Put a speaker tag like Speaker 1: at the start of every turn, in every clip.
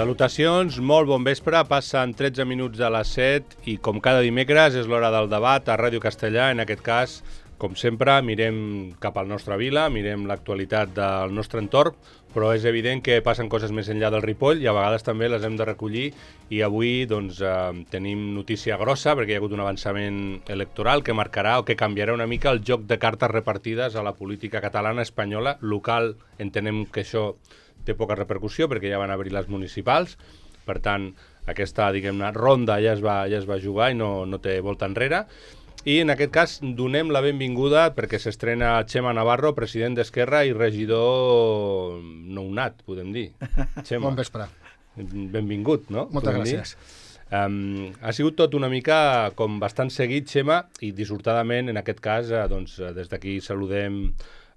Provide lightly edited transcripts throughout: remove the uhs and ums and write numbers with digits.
Speaker 1: Salutacions, molt bon vespre, passen 13 minuts de les 7 i com cada dimecres és l'hora del debat a Ràdio Castellà. En aquest cas, com sempre, mirem cap al nostre vila, mirem l'actualitat del nostre entorn, però és evident que passen coses més enllà del Ripoll i a vegades també les hem de recollir i avui tenim notícia grossa perquè hi ha hagut un avançament electoral que marcarà o que canviarà una mica el joc de cartes repartides a la política catalana, espanyola, local. Entenem que això té poca repercussió perquè ja van obrir les municipals, per tant aquesta, diguem-ne, ronda ja es va jugar i no té volta enrere. I en aquest cas donem la benvinguda perquè s'estrena Txema Navarro, president d'Esquerra i regidor nounat, podem dir. Txema.
Speaker 2: Bon vespre.
Speaker 1: Benvingut, no?
Speaker 2: Moltes gràcies.
Speaker 1: Ha sigut tot una mica com bastant seguit, Txema, i dissortadament, en aquest cas, des d'aquí saludem.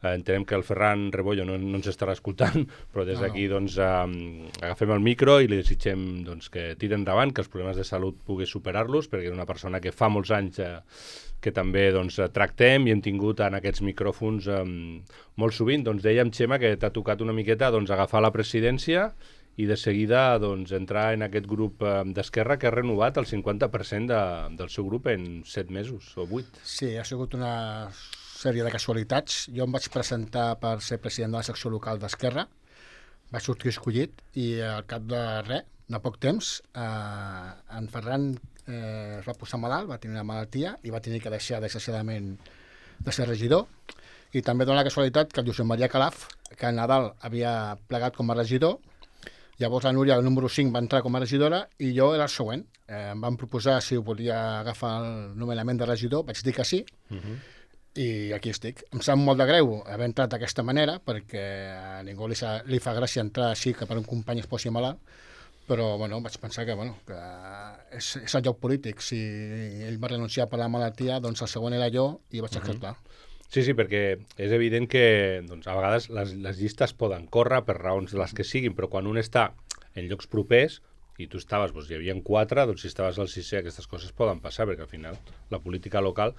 Speaker 1: Entenem que el Ferran Rebollo no ens estarà escoltant, però des d'aquí agafem el micro i li desitgem que tiri endavant, que els problemes de salut pugui superar-los, perquè és una persona que fa molts anys que també tractem i hem tingut en aquests micròfons molt sovint. Dèiem, Txema, que t'ha tocat una miqueta agafar la presidència i de seguida entrar en aquest grup d'Esquerra que ha renovat el 50% del seu grup en 7 mesos o 8.
Speaker 2: Sí, ha sigut una sèrie de casualitats. Jo em vaig presentar per ser president de la secció local d'Esquerra, vaig sortir escollit i al cap de poc temps, en Ferran es va posar malalt, va tenir una malaltia i va tenir que deixar desgraciadament de ser regidor. I també dona la casualitat que el Josep Maria Calaf, que a Nadal havia plegat com a regidor, llavors la Núria, el número 5, va entrar com a regidora i jo era el següent. Em van proposar si volia agafar el nomenament de regidor, vaig dir que sí, i aquí estic. Em sap molt de greu haver entrat d'aquesta manera, perquè a ningú li fa gràcia entrar així que per un company es posi malalt, però vaig pensar que és el lloc polític. Si ell va renunciar per la malaltia, doncs el següent era jo i vaig acceptar.
Speaker 1: Sí, perquè és evident que a vegades les llistes poden córrer per raons de les que siguin, però quan un està en llocs propers i tu estaves, hi havia 4, si estaves al 6è, aquestes coses poden passar, perquè al final la política local,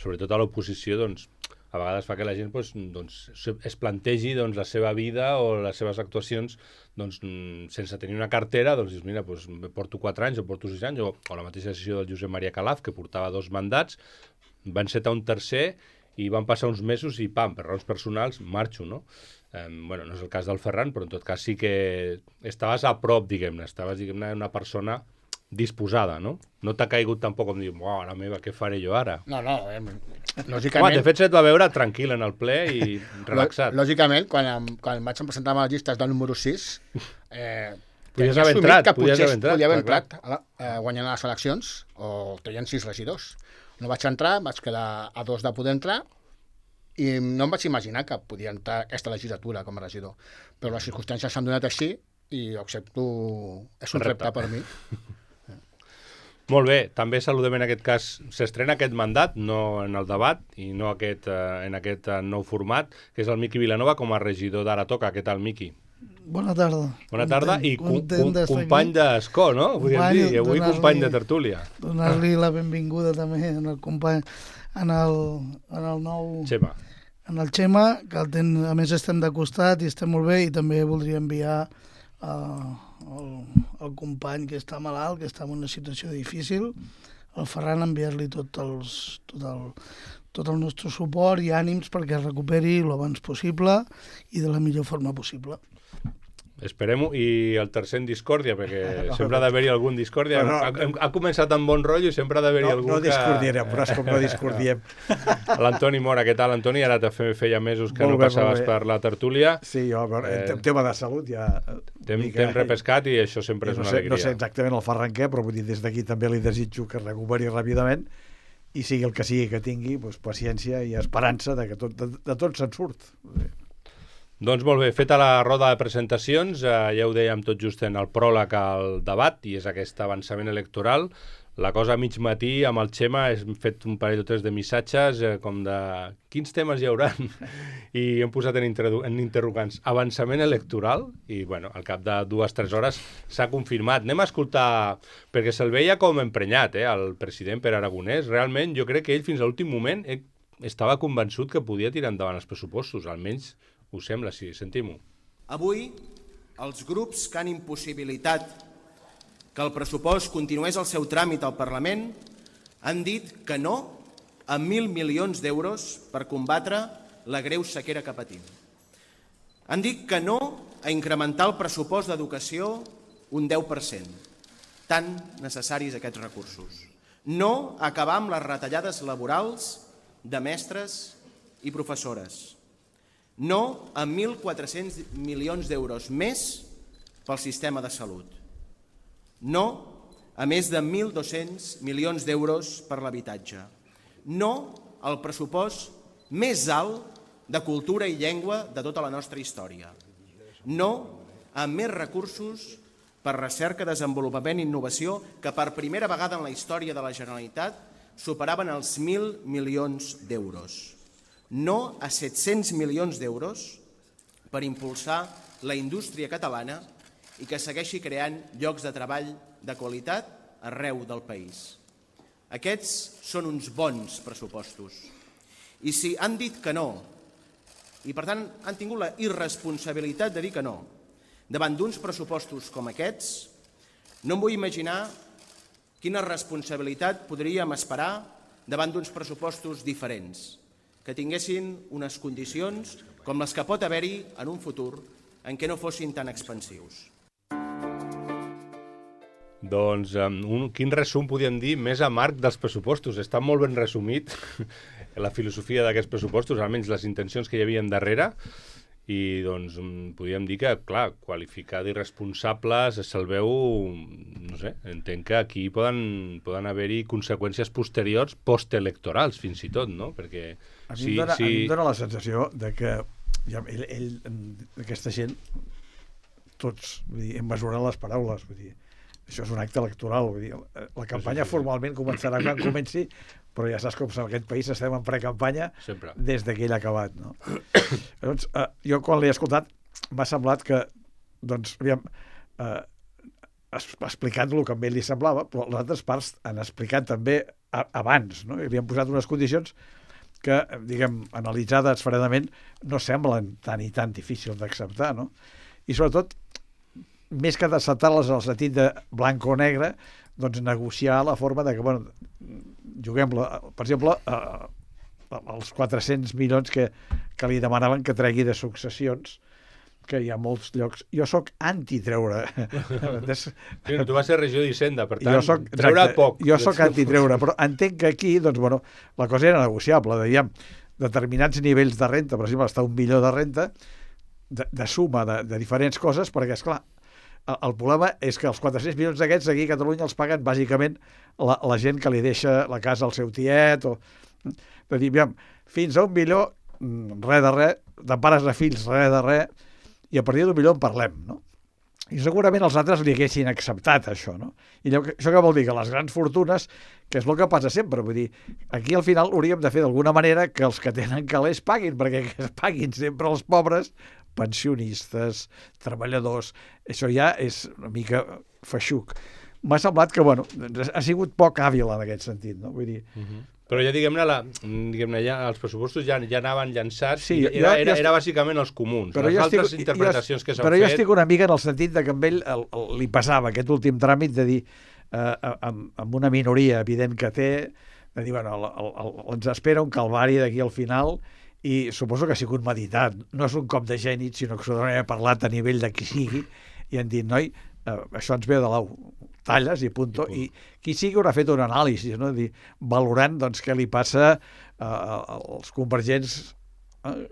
Speaker 1: sobretot a l'oposició, a vegades fa que la gent es plantegi la seva vida o les seves actuacions sense tenir una cartera, dius, mira, porto 4 anys o porto 6 anys, o la mateixa decisió del Josep Maria Calaf, que portava 2 mandats, va encetar un tercer i van passar uns mesos i, pam, per raons personals, marxo, no? No és el cas del Ferran, però en tot cas sí que estaves a prop, diguem-ne, una persona disposada, no? No t'ha caigut tampoc com dir, mare meva, què faré jo ara?
Speaker 2: No, lògicament...
Speaker 1: De fet, se't va veure tranquil en el ple i relaxat.
Speaker 2: Lògicament, quan em vaig presentar a les llistes del número 6,
Speaker 1: podies haver entrat,
Speaker 2: podia haver entrat guanyant les eleccions, o tenien 6 regidors. No vaig entrar, vaig quedar a 2 de poder entrar, i no em vaig imaginar que podia entrar aquesta legislatura com a regidor. Però les circumstàncies s'han donat així i ho accepto, és un repte per mi.
Speaker 1: Molt bé, també saludem en aquest cas, s'estrena aquest mandat, no en el debat i no en aquest nou format, que és el Miqui Vilanova com a regidor d'Ara Toca. Què tal, Miqui?
Speaker 3: Bona tarda.
Speaker 1: Bona tarda i company d'escó, no? Podríem dir, i avui company de tertúlia.
Speaker 3: Donar-li la benvinguda també al company, en el nou...
Speaker 1: Txema.
Speaker 3: En el Txema, que a més estem de costat i estem molt bé, i també voldria enviar el company que està malalt, que està en una situació difícil, el Ferran, enviar-li tot el nostre suport i ànims perquè es recuperi el abans possible i de la millor forma possible.
Speaker 1: Esperem-ho. I el tercer en discòrdia, perquè sempre ha d'haver-hi algun discòrdia. Ha començat amb bon rotllo i sempre ha d'haver-hi algú que...
Speaker 4: No discordirem, però és com no discordiem.
Speaker 1: L'Antoni Mora, què tal, Antoni? Ara feia mesos que no passaves per la tertúlia.
Speaker 4: Sí, jo, en tema de salut ja...
Speaker 1: T'hem repescat i això sempre és una alegria.
Speaker 4: No sé exactament el Ferran què, però vull dir, des d'aquí també li desitjo que es recuperi ràpidament i sigui el que sigui que tingui, paciència i esperança de que de tot se'n surt.
Speaker 1: Doncs molt bé, feta la roda de presentacions, ja ho dèiem tot just en el pròleg al debat, i és aquest avançament electoral. La cosa a mig matí amb el Txema hem fet un parell o 3 de missatges com de quins temes hi haurà i hem posat en interrogants avançament electoral i al cap de 2-3 hores s'ha confirmat. Anem a escoltar, perquè se'l veia com emprenyat, el president Pere Aragonès. Realment jo crec que ell fins a l'últim moment estava convençut que podia tirar endavant els pressupostos, almenys ho sembla, sí, sentim-ho.
Speaker 5: Avui els grups que han impossibilitat que el pressupost continués el seu tràmit al Parlament han dit que no a 1.000 milions d'euros per combatre la greu sequera que patim. Han dit que no a incrementar el pressupost d'educació un 10%, tan necessaris aquests recursos. No a acabar amb les retallades laborals de mestres i professores. No a 1.400 milions d'euros més pel sistema de salut. No a més de 1.200 milions d'euros per l'habitatge. No al pressupost més alt de cultura i llengua de tota la nostra història. No a més recursos per recerca, desenvolupament i innovació que per primera vegada en la història de la Generalitat superaven els 1.000 milions d'euros. No a 700 milions d'euros per impulsar la indústria catalana i que segueixi creant llocs de treball de qualitat arreu del país. Aquests són uns bons pressupostos. I si han dit que no, i per tant han tingut la irresponsabilitat de dir que no, davant d'uns pressupostos com aquests, no em vull imaginar quina responsabilitat podríem esperar davant d'uns pressupostos diferents, que tinguessin unes condicions com les que pot haver-hi en un futur en què no fossin tan expansius.
Speaker 1: Doncs quin resum podríem dir més amarg dels pressupostos? Està molt ben resumit la filosofia d'aquests pressupostos, almenys les intencions que hi havia darrere, i doncs podríem dir que, clar, qualificar d'irresponsables se'l veu, no sé, entenc que aquí poden haver-hi conseqüències posteriors postelectorals, fins i tot, no? Perquè
Speaker 4: a mi em dóna la sensació de que aquesta gent, tots, vull dir, hem mesurat les paraules, vull dir, això és un acte electoral, vull dir, la campanya formalment començarà quan comenci, però ja saps com en aquest país estem en precampanya des que ell ha acabat, no? Llavors, jo quan l'he escoltat m'ha semblat que, doncs, aviam, explicant el que a ell li semblava, però les altres parts han explicat també abans, no? Havien posat unes condicions que, diguem, analitzades fredament, no semblen tan i tan difícils d'acceptar, no? I sobretot, més que d'acceptar-les en el sentit de blanc o negre, doncs negociar la forma de que, bueno, juguem-la, per exemple, els 400 milions que li demanaven que tregui de successions, que hi ha molts llocs. Jo sóc anti-treure.
Speaker 1: Sí, tu vas ser regidor d'Hisenda, per tant, treure poc.
Speaker 4: Jo sóc anti-treure, però entenc que aquí, doncs, bueno, la cosa era negociable. Dèiem, determinats nivells de renta, per exemple, està 1 milió de renta, de suma de diferents coses, perquè, esclar, el problema és que els 400 milions d'aquests aquí a Catalunya els paguen bàsicament la gent que li deixa la casa al seu tiet, o de dir, fins a 1 milió, res de res, de pares a fills, res de res, i a partir d'1 milió en parlem, no? I segurament els altres li haguessin acceptat això, no? I això què vol dir? Que les grans fortunes, que és el que passa sempre, vull dir, aquí al final hauríem de fer d'alguna manera que els que tenen calés paguin, perquè que es paguin sempre els pobres, pensionistes, treballadors, això ja és una mica feixuc. M'ha semblat que, bueno, ha sigut poc hàbil en aquest sentit, no? Vull dir...
Speaker 1: Però ja, diguem-ne, ja els pressupostos ja anaven llançats, sí, era bàsicament els comuns. Les altres interpretacions que s'han fet...
Speaker 4: Però jo estic una mica en el sentit de que amb ell li passava aquest últim tràmit de dir, amb una minoria evident que té, de dir, bueno, ens espera un calvari d'aquí al final, i suposo que ha sigut meditat. No és un cop de gènit, sinó que s'ho ha parlat a nivell de qui sigui, i han dit, noi, això ens ve de l'au, talles i punto. I qui sigui haurà fet un anàlisi, no? Dir, valorant doncs, què li passa als convergents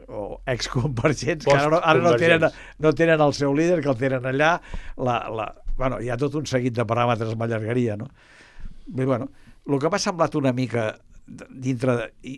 Speaker 4: o exconvergents que ara no tenen el seu líder, que el tenen allà. Bueno, hi ha tot un seguit de paràmetres, m'allargaria, no? I, bueno, el que m'ha semblat una mica i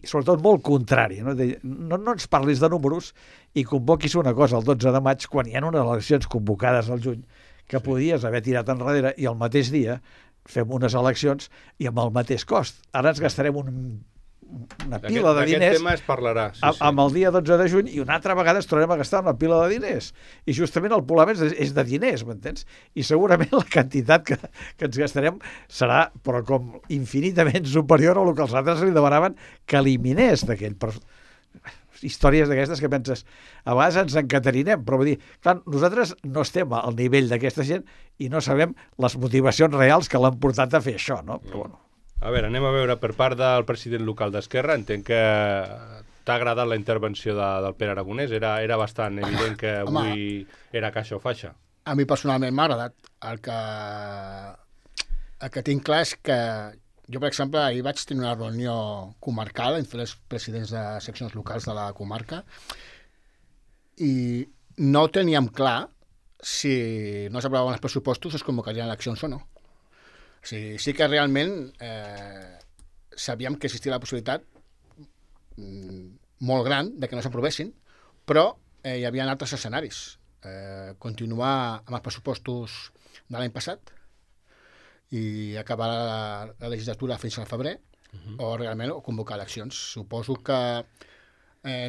Speaker 4: sobretot molt contrari, no ens parlis de números i convoquis una cosa el 12 de maig quan hi ha unes eleccions convocades al juny que podies haver tirat enrere i el mateix dia fem unes eleccions i amb el mateix cost. Ara ens gastarem una pila de diners.
Speaker 1: Aquest tema es parlarà.
Speaker 4: Amb el dia 12 de juny i una altra vegada ens tornem a gastar una pila de diners. I justament el problema és de diners, m'entens? I segurament la quantitat que ens gastarem serà, però com infinitament superior a el que els altres li demanaven que eliminés d'aquell. històries d'aquestes que penses, a vegades ens encaterinem, però vull dir, clar, nosaltres no estem al nivell d'aquesta gent i no sabem les motivacions reals que l'han portat a fer això, no? Però bueno.
Speaker 1: A veure, anem a veure per part del president local d'Esquerra. Entenc que t'ha agradat la intervenció del Pere Aragonès. Era bastant evident que avui era caixa o faixa.
Speaker 2: A mi personalment m'ha agradat. El que tinc clar és que jo, per exemple, ahir vaig tenir una reunió comarcal entre els presidents de seccions locals de la comarca i no teníem clar si no s'aprovaven els pressupostos es convocarien eleccions o no. O sigui, sí que realment sabíem que existia la possibilitat molt gran de que no s'aprovessin, però hi havia altres escenaris. Continuar amb els pressupostos de l'any passat i acabar la legislatura fins al febrer o realment convocar eleccions. Suposo que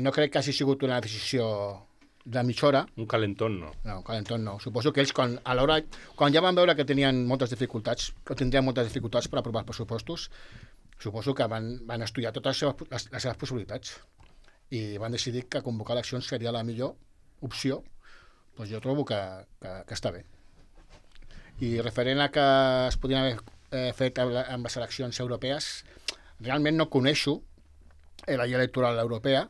Speaker 2: no crec que hagi sigut una decisió de mitja hora.
Speaker 1: Un calentón no.
Speaker 2: No, un calentón no. Suposo que ells, quan ja van veure que tenien moltes dificultats, que tindrien moltes dificultats per aprovar els pressupostos, suposo que van estudiar totes les seves possibilitats i van decidir que convocar eleccions seria la millor opció. Doncs jo trobo que està bé. I referent a que es podien haver fet amb les eleccions europees, realment no coneixo la llei electoral europea,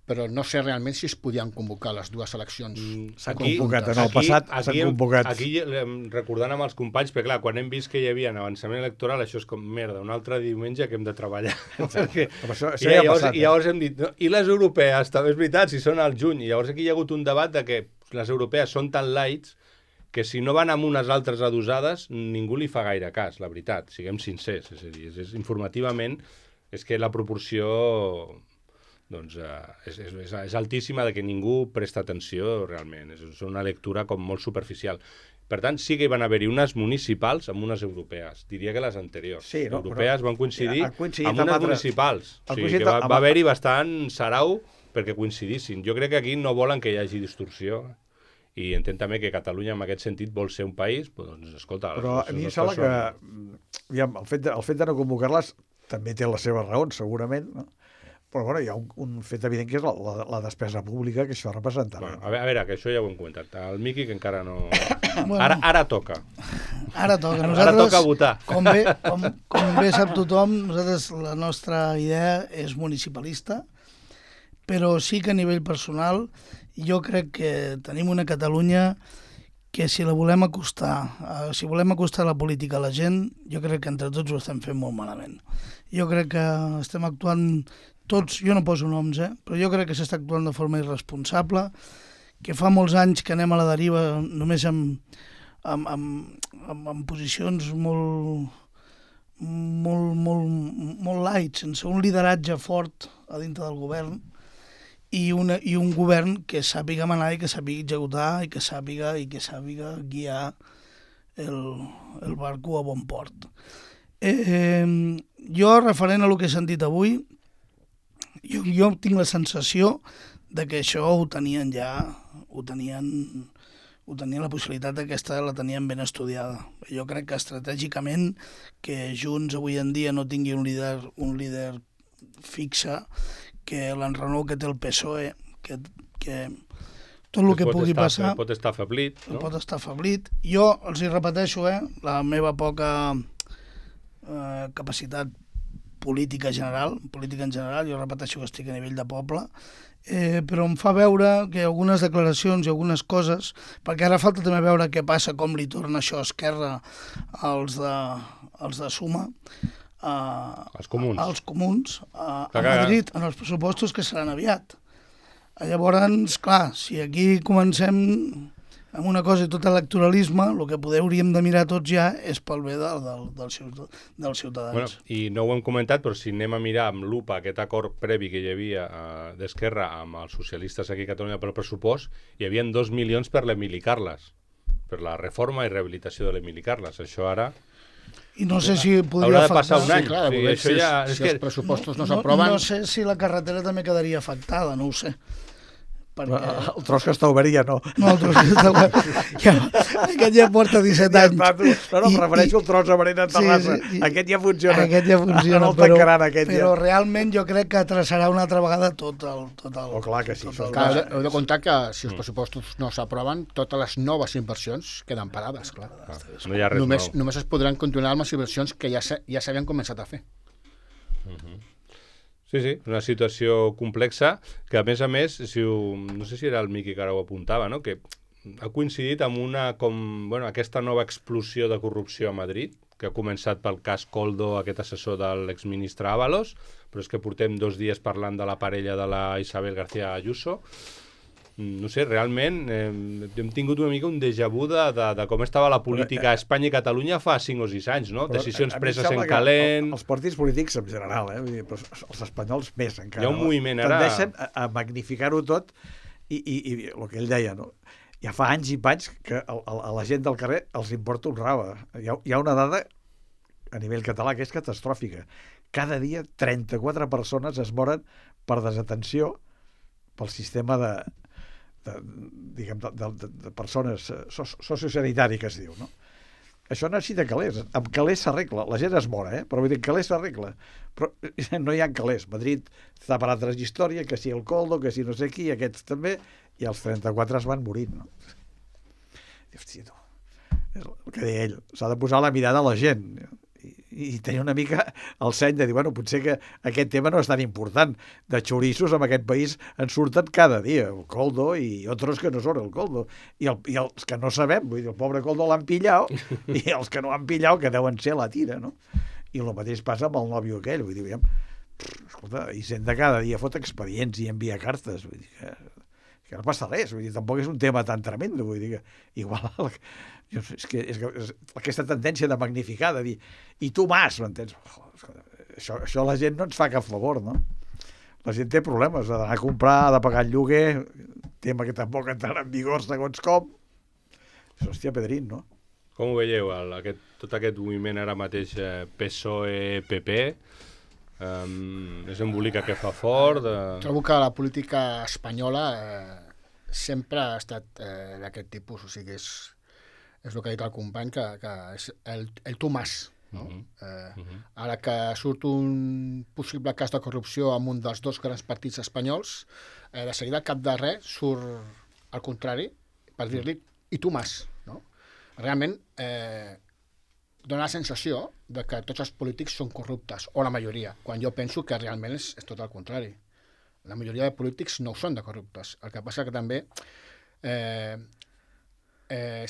Speaker 2: però no sé realment si es podien convocar les dues eleccions.
Speaker 4: S'han convocat en el passat, s'han convocat.
Speaker 1: Aquí, recordant amb els companys, perquè clar, quan hem vist que hi havia un avançament electoral, això és com, merda, un altre diumenge que hem de treballar. Perquè, i llavors hem dit, no? I les europees, també és veritat, si són al juny, i llavors aquí hi ha hagut un debat de que les europees són tan lights que si no van amb unes altres adosades, ningú li fa gaire cas, la veritat, siguem sincers. És a dir, informativament, és que la proporció doncs, és altíssima de que ningú presta atenció realment. És una lectura com molt superficial. Per tant, sí que hi van haver-hi unes municipals amb unes europees. Diria que les anteriors.
Speaker 4: Sí, no,
Speaker 1: europees van coincidir amb unes municipals. O sigui, que va haver-hi bastant sarau perquè coincidissin. Jo crec que aquí no volen que hi hagi distorsió i entenc també que Catalunya en aquest sentit vol ser un país, doncs escolta...
Speaker 4: Però a mi em sembla que el fet de no convocar-les també té les seves raons, segurament, no? Però bueno, hi ha un fet evident que és la despesa pública que això representarà.
Speaker 1: Bueno, a veure, que això ja ho hem comentat. El Miqui, que encara no... Bueno, ara toca.
Speaker 3: Ara toca.
Speaker 1: Ara toca votar.
Speaker 3: Com bé sap tothom, nosaltres la nostra idea és municipalista, però sí que a nivell personal jo crec que tenim una Catalunya que si la volem acostar, si volem acostar la política a la gent, jo crec que entre tots ho estem fent molt malament. Jo crec que estem actuant tots, jo no poso noms, però jo crec que s'està actuant de forma irresponsable, que fa molts anys que anem a la deriva només amb posicions molt light, sense un lideratge fort a dintre del govern, i un govern que sàpiga manar i que sàpiga executar i que sàpiga guiar el barco a bon port. Jo, referent a el que he sentit avui, jo tinc la sensació de que això ho tenien la possibilitat aquesta la tenien ben estudiada. Jo crec que estratègicament que Junts avui en dia no tingui un líder fixe, que l'enrenou que té el PSOE, que tot el que pugui passar...
Speaker 1: Pot estar afeblit, no?
Speaker 3: Pot estar afeblit. Jo els hi repeteixo, la meva poca capacitat política en general, jo repeteixo que estic a nivell de poble, però em fa veure que algunes declaracions i algunes coses, perquè ara falta també veure què passa, com li torna això a Esquerra als de Suma,
Speaker 1: als
Speaker 3: comuns a Madrid, en els pressupostos que seran aviat. Llavors, clar, si aquí comencem amb una cosa i tot electoralisme, el que hauríem de mirar tots ja és pel bé dels ciutadans.
Speaker 1: Bueno, i no ho hem comentat, però si anem a mirar amb lupa aquest acord previ que hi havia d'Esquerra amb els socialistes aquí a Catalunya pel pressupost, hi havia 2 milions per l'Emili Carles, per la reforma i rehabilitació de l'Emili Carles. Això ara...
Speaker 3: I no sé si podria afectar...
Speaker 1: Haurà de passar un any.
Speaker 2: Clar, si els pressupostos no s'aproven...
Speaker 3: No sé si la carretera també quedaria afectada, no ho sé. perquè...
Speaker 4: El tros que està obert ja no.
Speaker 3: No, el tros que està obert. Aquest ja porta 17 anys.
Speaker 4: No, em refereixo al tros obert a Terrassa. Aquest ja funciona.
Speaker 3: Aquest ja funciona,
Speaker 4: no el tancaran, aquest
Speaker 3: però
Speaker 4: ja.
Speaker 3: realment jo crec que traçarà una altra vegada tot el...
Speaker 4: Oh, clar que sí.
Speaker 2: Heu de comptar que si els pressupostos no s'aproven, totes les noves inversions queden parades, clar.
Speaker 1: No hi ha res nou.
Speaker 2: Només es podran continuar amb les inversions que ja s'havien començat a fer.
Speaker 1: Sí, una situació complexa que, a més, no sé si era el Miqui que ara ho apuntava, no? Que ha coincidit amb aquesta nova explosió de corrupció a Madrid, que ha començat pel cas Koldo, aquest assessor de l'exministre Ábalos, però és que portem 2 dies parlant de la parella de la Isabel García Ayuso. No sé, realment hem tingut una mica un déjà vu de com estava la política a Espanya i Catalunya fa 5 o 6 anys, no? Decisions preses en calent...
Speaker 4: Els partits polítics en general, vull dir, però els espanyols més encara.
Speaker 1: Hi ha un moviment ara...
Speaker 4: Tendeixen a magnificar-ho tot i el que ell deia, no? Ja fa anys i panys que a la gent del carrer els importa un rave. Hi ha una dada a nivell català que és catastròfica. Cada dia 34 persones es moren per desatenció pel sistema de persones sociosanitari que es diu, no? Això necessita calés. Amb calés s'arregla. La gent es mora, però vull dir, calés s'arregla. Però no hi ha calés. Madrid està per altres històries, que si el Koldo, que si no sé qui, aquests també, i els 34 es van morint, no? Hòstia, no. És el que deia ell. S'ha de posar la mirada a la gent i tenir una mica el seny de dir, bueno, potser que aquest tema no és tan important. De xorissos en aquest país en surten cada dia, el Koldo i altres que no són el Koldo. I els que no sabem, vull dir, el pobre Koldo l'han pillat, i els que no han pillat, que deuen ser la tira, no? I el mateix passa amb el nòvio aquell, vull dir, escolta, Hisenda cada dia fot expedients i envia cartes, vull dir que no passa res, vull dir, tampoc és un tema tan tremendo, vull dir que igual... És que aquesta tendència de magnificar, de dir, i tu mas, m'entens? Això la gent no ens fa cap favor, no? La gent té problemes, ha d'anar a comprar, ha de pagar el lloguer, tema que tampoc entrarà en vigor segons com. Hòstia, Pedrín, no?
Speaker 1: Com ho veieu, tot aquest moviment ara mateix PSOE-PP? És embolica que fa fort?
Speaker 2: Trobo que la política espanyola sempre ha estat d'aquest tipus, o sigui, és el que ha dit el company, que és el tu mas. No? Ara que surt un possible cas de corrupció amb un dels 2 grans partits espanyols, de seguida al cap de res surt al contrari per dir-li i tu mas. No? Realment dona la sensació de que tots els polítics són corruptes, o la majoria, quan jo penso que realment és tot el contrari. La majoria de polítics no ho són de corruptes. El que passa que també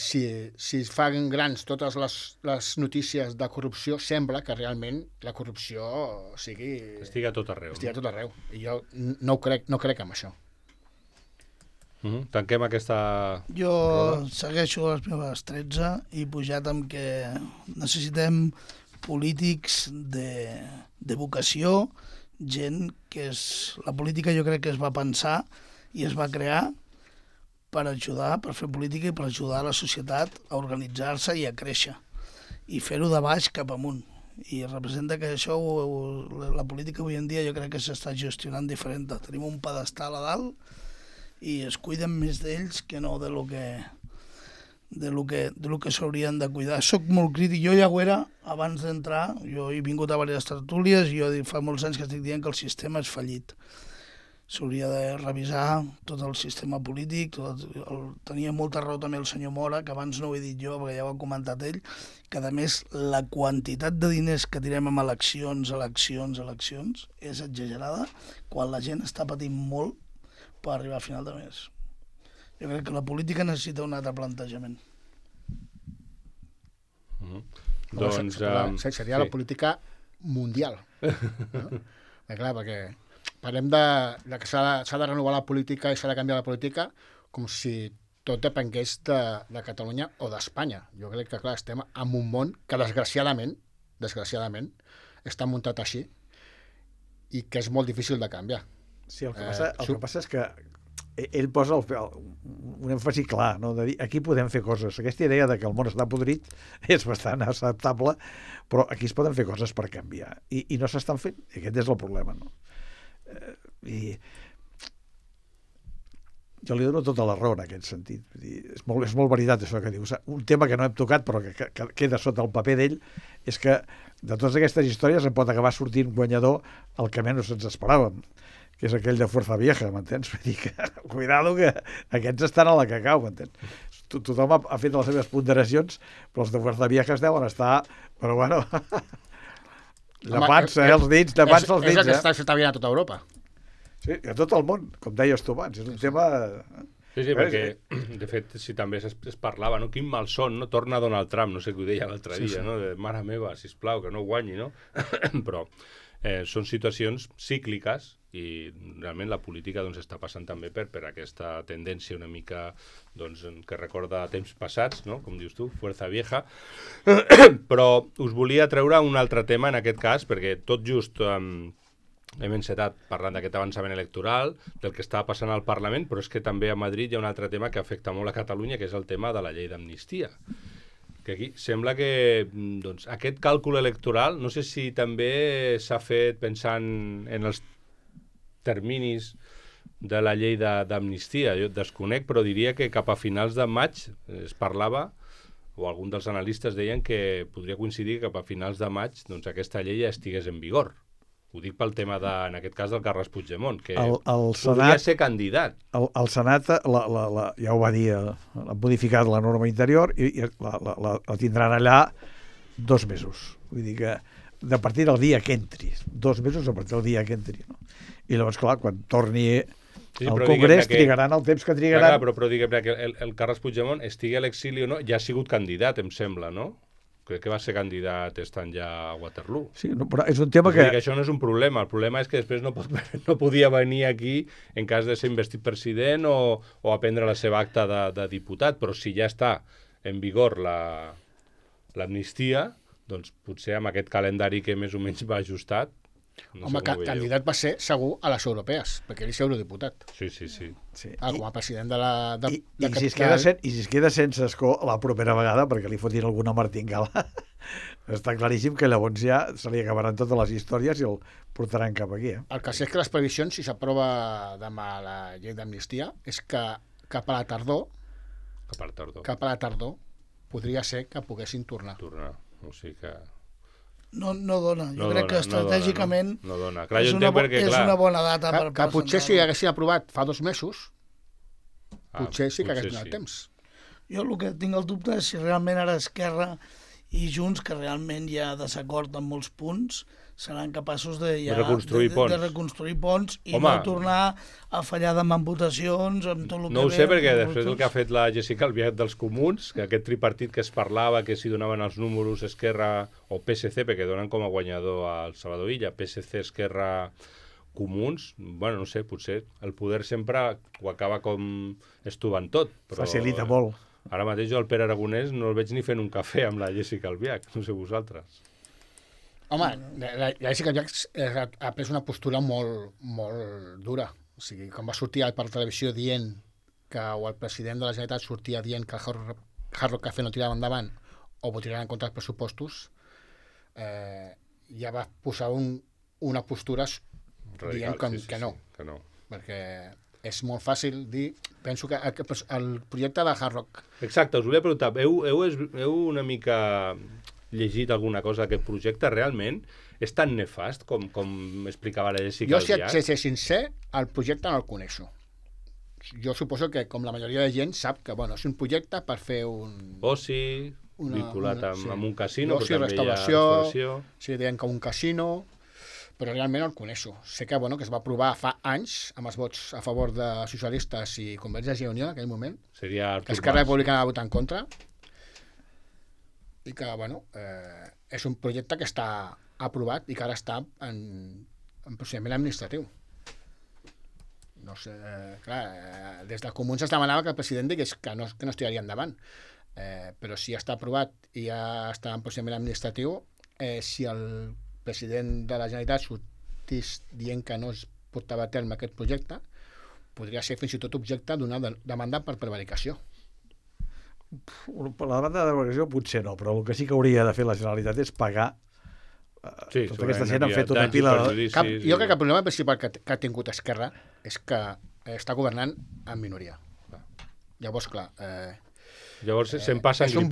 Speaker 2: si es fan grans totes les notícies de corrupció, sembla que realment la corrupció
Speaker 1: estigui a tot arreu.
Speaker 2: Estigui a tot arreu. I jo no crec en això.
Speaker 1: Tanquem aquesta...
Speaker 3: Jo segueixo les meves 13 i pujat amb que necessitem polítics de vocació, gent que és... La política jo crec que es va pensar i es va crear per ajudar, per fer política i per ajudar la societat a organitzar-se i a créixer. I fer-ho de baix cap amunt. I representa que això, la política avui en dia jo crec que s'està gestionant diferent. Tenim un pedestal a dalt i es cuiden més d'ells que no de lo que s'haurien de cuidar. Soc molt crític, jo ja ho era abans d'entrar, jo he vingut a diverses tertúlies i jo fa molts anys que estic dient que el sistema és fallit. S'hauria de revisar tot el sistema polític, tenia molta raó també el senyor Mora, que abans no ho he dit jo, perquè ja ho ha comentat ell, que a més la quantitat de diners que tirem en eleccions és exagerada, quan la gent està patint molt per arribar a final de mes. Jo crec que la política necessita un altre plantejament.
Speaker 2: Seria la política mundial. No? Clar, perquè parlem de que s'ha de renovar la política i s'ha de canviar la política com si tot depengués de Catalunya o d'Espanya. Jo crec que, clar, estem en un món que desgraciadament està muntat així i que és molt difícil de canviar.
Speaker 4: Sí, el que passa és que ell posa un èmfasi clar, no? De dir, aquí podem fer coses. Aquesta idea de que el món està podrit és bastant acceptable, però aquí es poden fer coses per canviar. I no s'estan fent. I aquest és el problema, no? I jo li dono tota la raó en aquest sentit. Vull dir, és molt veritat això que dius. Un tema que no hem tocat però que queda sota el paper d'ell és que de totes aquestes històries en pot acabar sortint guanyador el que menys ens esperàvem, que és aquell de Fuerza Vieja, m'entens? Vull dir que, cuidado, que aquests estan a la que cau, m'entens? Tothom ha fet les seves ponderacions, però els de Fuerza Vieja es deuen estar, però bueno, llepats, els dits, llepats els dits.
Speaker 2: És el que està bien a tota Europa.
Speaker 4: Sí, a tot el món, com deies tu abans, és un tema...
Speaker 1: Sí, perquè, de fet, si també es parlava, no? Quin malson, no? Torna Donald Trump, no sé què ho deia l'altre dia, no? De mare meva, sisplau, que no guanyi, no? Però són situacions cícliques i realment la política doncs, està passant també per aquesta tendència una mica doncs, que recorda temps passats, no? Com dius tu, Fuerza Vieja. Però us volia treure un altre tema en aquest cas, perquè tot just hem encetat parlant d'aquest avançament electoral, del que estava passant al Parlament, però és que també a Madrid hi ha un altre tema que afecta molt a Catalunya, que és el tema de la llei d'amnistia. Que aquí sembla que doncs, aquest càlcul electoral, no sé si també s'ha fet pensant en els terminis de la llei d'amnistia. Jo desconec, però diria que cap a finals de maig es parlava, o alguns dels analistes deien que podria coincidir que cap a finals de maig doncs, aquesta llei ja estigués en vigor. Ho dic pel tema, en aquest cas, del Carles Puigdemont, que podria ser candidat.
Speaker 4: El Senat ja ho va dir, ha modificat la norma interior i la tindran allà 2 mesos. Vull dir que a partir del dia que entri, 2 mesos a partir del dia que entri. No? I llavors, clar, quan torni al Congrés trigaran el temps que trigaran.
Speaker 1: Clar, però diguem que el Carles Puigdemont estigui a l'exili o no, ja ha sigut candidat, em sembla, no? Crec que va ser candidat estant ja a Waterloo.
Speaker 4: Sí, no, però és un tema que...
Speaker 1: Això no és un problema. El problema és que després no podia venir aquí en cas de ser investit president o a prendre la seva acta de diputat, però si ja està en vigor l'amnistia, doncs potser amb aquest calendari que més o menys va ajustat.
Speaker 2: No home, candidat va ser segur a les europees, perquè ell és eurodiputat.
Speaker 1: Sí.
Speaker 2: Com a president de la...
Speaker 4: I si es queda sense escó la propera vegada, perquè li fotin alguna martingala, està claríssim que llavors ja se li acabaran totes les històries i el portaran cap aquí.
Speaker 2: El que sé és que les previsions, si s'aprova demà la llei d'amnistia, és que cap a la tardor podria ser que poguessin tornar.
Speaker 1: O sigui que...
Speaker 3: No dona. Jo crec que estratègicament
Speaker 1: no dona. Clar, és una
Speaker 3: bona data per
Speaker 2: que potser si haguessin aprovat fa 2 mesos, potser sí que hagués donat temps.
Speaker 3: Jo el que tinc el dubte és si realment ara Esquerra i Junts, que realment hi ha desacord en molts punts, seran capaços de reconstruir ponts i no tornar a fallar demà en votacions amb tot el que
Speaker 1: no ho sé, perquè després del que ha fet la Jéssica Albiach dels Comuns, que aquest tripartit que es parlava, que si donaven els números Esquerra o PSC, perquè donen com a guanyador al Salvador Illa, PSC, Esquerra, Comuns, bueno, no sé, potser el poder sempre ho acaba com estovant tot. Però
Speaker 4: facilita molt.
Speaker 1: Ara mateix jo el Pere Aragonès no el veig ni fent un cafè amb la Jéssica Albiach, no sé vosaltres.
Speaker 2: Home, la Jéssica Albiach ha pres una postura molt dura. O sigui, quan va sortir per televisió dient que o el president de la Generalitat sortia dient que el Hard Rock Café no tirava endavant o votaran en contra dels pressupostos, ja va posar una postura dient que no. Perquè és molt fàcil dir... Penso que el projecte de Hard Rock...
Speaker 1: Exacte, us volia preguntar, heu una mica llegit alguna cosa d'aquest projecte? Realment és tan nefast com explicava la Jéssica Albiach?
Speaker 2: Jo, si ser sincer, el projecte no el coneixo. Jo suposo que, com la majoria de gent, sap que és un projecte per fer un...
Speaker 1: Oci, vinculat amb un casino,
Speaker 2: però també hi ha restauració. Sí, deien que un casino... però realment no el coneixo. Sé que es va aprovar fa anys amb els vots a favor de socialistes i Convergència i Unió en aquell moment.
Speaker 1: Seria
Speaker 2: que Esquerra Republicana va votar en contra i que, és un projecte que està aprovat i que ara està en procediment administratiu. No sé, clar, des de Comuns es demanava que el president digués que no es tiraria endavant, però si ja està aprovat i ja està en procediment administratiu, si el president de la Generalitat sortís dient que no es portava a terme aquest projecte, podria ser fins i tot objecte d'una demanda per prevaricació.
Speaker 4: Per la demanda de prevaricació potser no, però el que sí que hauria de fer la Generalitat és pagar tota aquesta gent han fet una pila de...
Speaker 2: Jo crec que el problema principal que ha tingut Esquerra és que està governant en minoria. Llavors, clar...
Speaker 1: Llavors se'n passa
Speaker 2: és un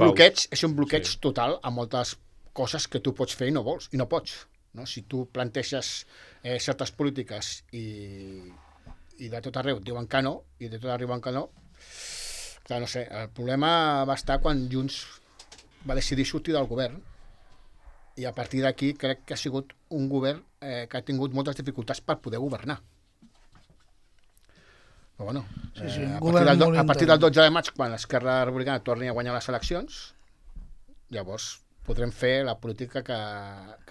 Speaker 2: bloqueig total a moltes coses que tu pots fer i no vols, i no pots. No? Si tu planteges certes polítiques i de tot arreu et diuen que no, i de tot arreu diuen que no, clar, no sé, el problema va estar quan Junts va decidir sortir del govern, i a partir d'aquí crec que ha sigut un govern que ha tingut moltes dificultats per poder governar. Però bueno, a partir del 12 de maig, quan l'Esquerra Republicana torni a guanyar les eleccions, llavors podrem fer la política que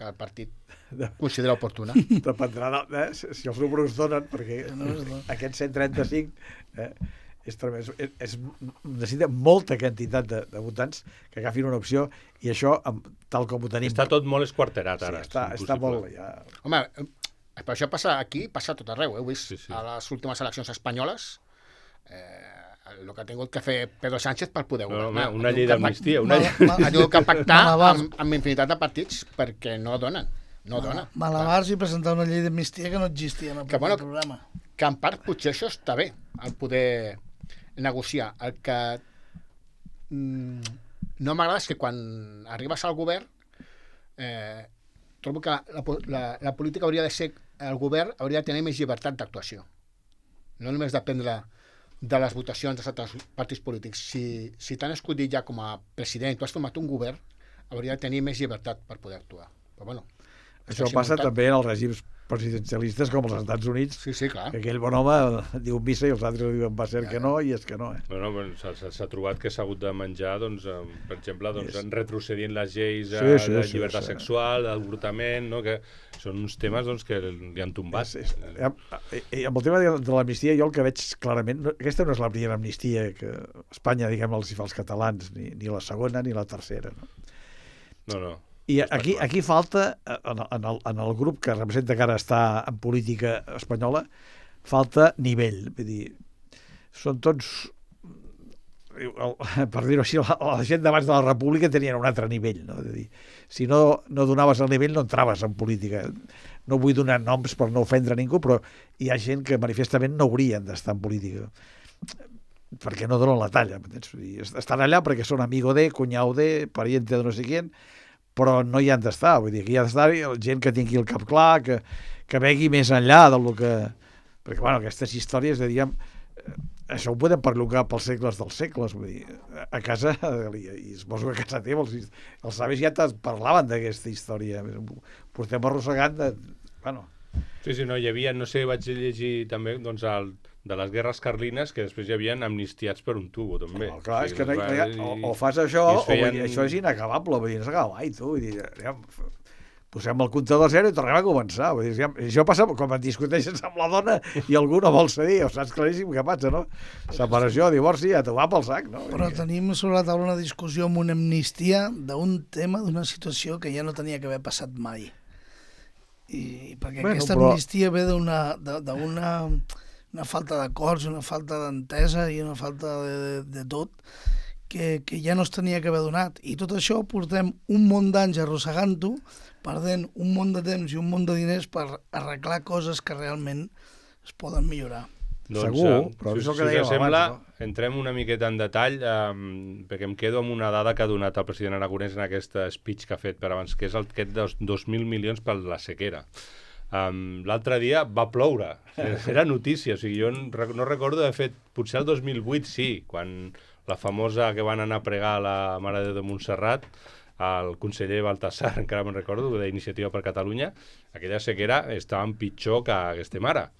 Speaker 2: el partit considera oportuna.
Speaker 4: Dependrà si els números donen, perquè aquest 135 necessita molta quantitat de votants que agafin una opció, i això, tal com ho tenim...
Speaker 1: Està tot molt esquarterat ara.
Speaker 4: Sí, està molt... Ja...
Speaker 2: Home, però això passa aquí, passa a tot arreu. Heu vist a les últimes eleccions espanyoles el que ha tingut que fer Pedro Sánchez per poder governar.
Speaker 1: Una llei d'amnistia.
Speaker 2: Ha tingut que pactar amb infinitat de partits perquè no donen.
Speaker 3: Malabars i presentar una llei d'amnistia que no existia en el programa.
Speaker 2: Que en part potser això està bé, el poder negociar. El que no m'agrada és que quan arribes al govern trobo que la política hauria de ser, el govern hauria de tenir més llibertat d'actuació, no només dependre de les votacions dels altres partits polítics. Si t'han escollit ja com a president i tu has format un govern, hauria de tenir més llibertat per poder actuar. Però bueno,
Speaker 4: això passa també en els règims presidencialistes com als Estats Units,
Speaker 2: clar.
Speaker 4: Que aquell bon home diu missa i els altres diuen va ser que no, i és que no.
Speaker 1: S'ha trobat que s'ha hagut de menjar, per exemple, retrocedint les lleis de llibertat sexual, d'avortament, que són uns temes que li han tombat.
Speaker 4: I amb el tema de l'amnistia, jo el que veig clarament, aquesta no és la primera amnistia que Espanya, diguem, els fa els catalans, ni la segona ni la tercera.
Speaker 1: No.
Speaker 4: I aquí falta, en el grup que representa que ara està en política espanyola, falta nivell. Vull dir, són tots, per dir-ho així, la gent d'abans de la República tenien un altre nivell. No? Dir, si no donaves el nivell no entraves en política. No vull donar noms per no ofendre ningú, però hi ha gent que manifestament no haurien d'estar en política, perquè no donen la talla. Estan allà perquè són amigo de, cunyau de, pariente de no sé qui, però no hi han d'estar. Vull dir, que hi ha d'estar gent que tingui el cap clar, que vegi més enllà del que... Perquè, bueno, aquestes històries, diguem, això ho podem perllongar pels segles dels segles. Vull dir, a casa, i suposo que a casa teva, els savis ja parlaven d'aquesta història. Portem arrossegant de... Bueno...
Speaker 1: Sí, no, hi havia, no sé, vaig llegir també, de les guerres carlines, que després hi havia amnistiats per un tubo, també.
Speaker 4: Clar, és que o fas això, o això és inacabable, vull dir, no s'acaba mai, tu. Vull dir, posem el comptador a zero i tornem a començar. Vull dir, això passa quan et discuteixes amb la dona i algú no vol cedir, o saps claríssim què passa, no? Separació, divorci, ja t'ho va pel sac, no?
Speaker 3: Però tenim sobre la taula una discussió amb una amnistia d'un tema, d'una situació que ja no tenia que haver passat mai. I perquè aquesta amnistia ve d'una una falta d'acords, una falta d'entesa i una falta de tot que ja no es tenia que haver donat. I tot això portem un munt d'anys arrossegant-ho, perdent un munt de temps i un munt de diners per arreglar coses que realment es poden millorar.
Speaker 4: Segur, però és el que dèiem abans.
Speaker 1: Entrem una miqueta en detall, perquè em quedo amb una dada que ha donat el president Aragonès en aquest speech que ha fet per abans, que és aquest dels 2.000 milions per la sequera. L'altre dia va ploure, era notícia, o sigui, jo no recordo d'haver fet, potser el 2008 sí, quan la famosa que van anar a pregar a la Mare de Déu de Montserrat, el conseller Baltasar, encara me'n recordo, d'Iniciativa per Catalunya, aquella sequera estava pitjor que estem ara.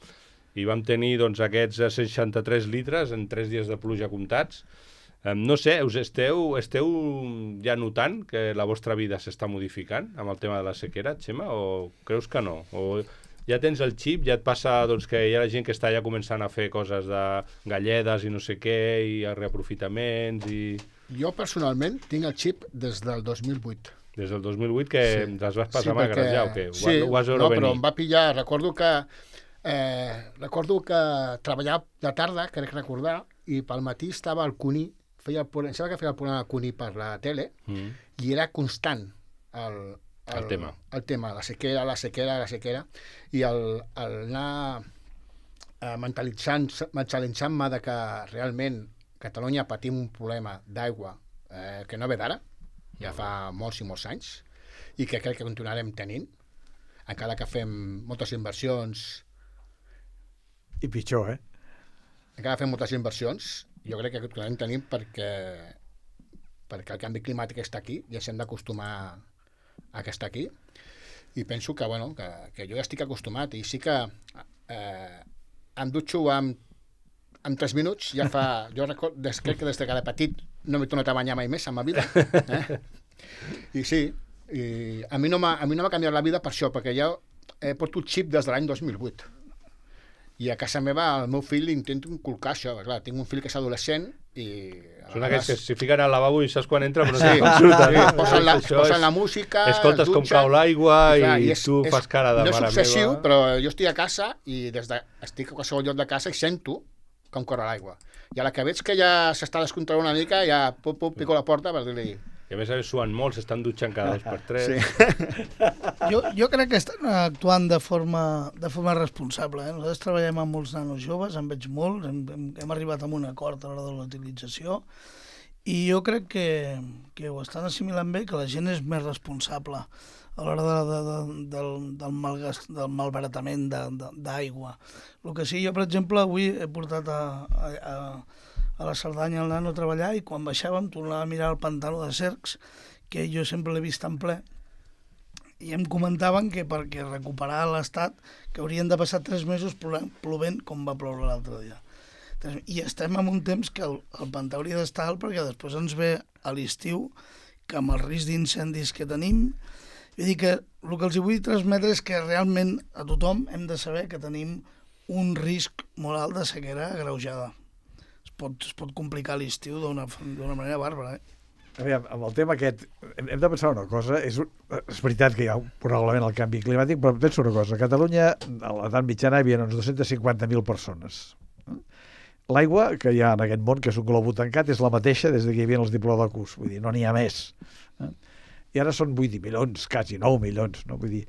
Speaker 1: I vam tenir aquests 63 litres en 3 dies de pluja comptats. No sé, esteu ja notant que la vostra vida s'està modificant amb el tema de la sequera, Xema, o creus que no? O ja tens el xip, ja et passa que hi ha gent que està ja començant a fer coses de galledes i no sé què, i reaprofitaments i...
Speaker 2: Jo personalment tinc el xip des del 2008.
Speaker 1: Des del 2008 que les vas passar magres ja, o què?
Speaker 2: Sí, no, però em va pillar, recordo que treballava de tarda, crec recordar, i pel matí estava al Cuní, em sembla que feia el programa Cuní per la tele, i era constant el tema, la sequera, i el anar mentalitzant-me de que realment Catalunya patim un problema d'aigua que no ve d'ara, ja fa molts i molts anys, i que crec que continuarem tenint, encara que fem moltes inversions.
Speaker 4: I pitjor,
Speaker 2: Encara fem moltes inversions, jo crec que continuarem tenint perquè el canvi climàtic està aquí i ens hem d'acostumar a que està aquí. I penso que, bueno, que jo ja estic acostumat i sí que em dutxo amb 3 minuts, ja fa... Jo crec que des que era petit no m'he tornat a banyar mai més en ma vida. I sí, a mi no m'ha canviat la vida per això, perquè jo porto el xip des de l'any 2008. I a casa meva el meu fill intento inculcar això. Clar, tinc un fill que és adolescent i...
Speaker 1: Són aquells que s'hi fiquen al lavabo i saps quan entra però no
Speaker 2: Sí,
Speaker 1: com surten.
Speaker 2: posen la música,
Speaker 1: escoltes com cau l'aigua i tu fas cara de
Speaker 2: mare meva. No és obsessiu, però jo estic a casa i estic a qualsevol lloc de casa i sento com corre l'aigua. I a la que veig que ja s'està descontrolant una mica, ja pico la porta per dir-li...
Speaker 1: I a més suen molt, s'estan dutxant cada 2 per 3.
Speaker 2: Sí.
Speaker 3: Jo crec que estan actuant de forma responsable. Nosaltres treballem amb molts nanos joves, en veig molts, hem arribat a un acord a l'hora de la utilització i jo crec que ho estan assimilant bé, que la gent és més responsable a l'hora del malbaratament d'aigua. El que sí, jo, per exemple, avui he portat a la Cerdanya el nano a treballar i quan baixàvem tornava a mirar el pantano de Cercs, que jo sempre l'he vist en ple, i em comentaven que perquè recuperar l'estat que haurien de passar 3 mesos plovent com va ploure l'altre dia. I estem en un temps que el pantà hauria d'estar alt perquè després ens ve a l'estiu que amb el risc d'incendis que tenim, vull dir que el que els vull transmetre és que realment a tothom hem de saber que tenim un risc molt alt de sequera agreujada. Es pot complicar l'estiu d'una manera bàrbara.
Speaker 4: Aviam, amb el tema aquest, hem de pensar una cosa, és veritat que hi ha probablement el canvi climàtic, però penso una cosa, a Catalunya a l'edat mitjana hi havia uns 250.000 persones. L'aigua que hi ha en aquest món, que és un globo tancat, és la mateixa des que hi havia els diplodocus, vull dir, no n'hi ha més. I ara són 8 milions, quasi 9 milions, no? Vull dir,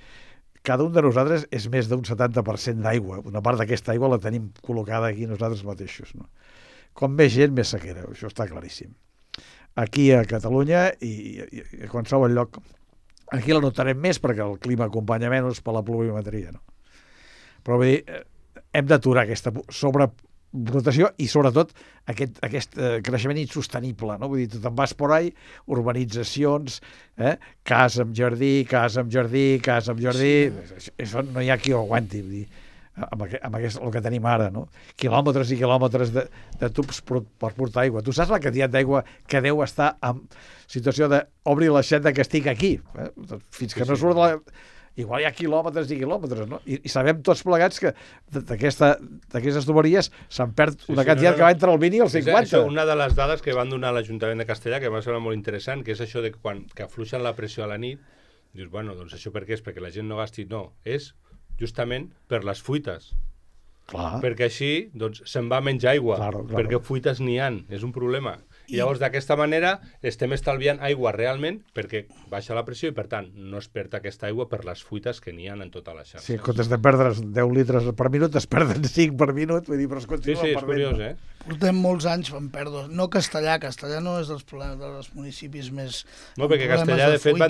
Speaker 4: cada un de nosaltres és més d'un 70% d'aigua. Una part d'aquesta aigua la tenim col·locada aquí nosaltres mateixos, no? Com més gent, més sequera, això està claríssim. Aquí a Catalunya i a qualsevol lloc, aquí la notarem més perquè el clima acompanya menys per la pluviometria, no? Però vull dir, hem d'aturar aquesta sobrepoblació i sobretot aquest creixement insostenible, no? Vull dir, tu te'n vas por ahí, urbanitzacions, casa amb jardí, casa amb jardí, casa amb jardí, això no hi ha qui ho aguanti, vull dir, amb el que tenim ara, no? Quilòmetres i quilòmetres de tubs per portar aigua. Tu saps la quantitat d'aigua que deu estar en situació d'obrir l'aixeta que estic aquí, fins que no surt la... Igual hi ha quilòmetres i quilòmetres, no? I sabem tots plegats que d'aquestes tuberies se'n perd una quantitat que va entre el 20 i el 50.
Speaker 1: Això, una de les dades que van donar a l'Ajuntament de Castellà, que em va semblar molt interessant, que és això de quan afluixen la pressió a la nit, dius, bueno, doncs això per què és? Perquè la gent no gasti... No, és justament per les fuites.
Speaker 4: Clar.
Speaker 1: Perquè així doncs, se'n va menys aigua,
Speaker 4: claro.
Speaker 1: Perquè fuites n'hi ha, és un problema. I llavors d'aquesta manera estem estalviant aigua realment perquè baixa la pressió i per tant no es perd aquesta aigua per les fuites que n'hi ha en tota la xarxa.
Speaker 4: Sí, en comptes de perdre 10 litres per minut es perden 5 per minut, vull dir, però es continua
Speaker 1: perdent.
Speaker 4: Sí, és
Speaker 1: curiós,
Speaker 3: Portem molts anys fent pèrdues. No Castellà no és dels problemes dels municipis més...
Speaker 1: No, perquè Castellà de fet va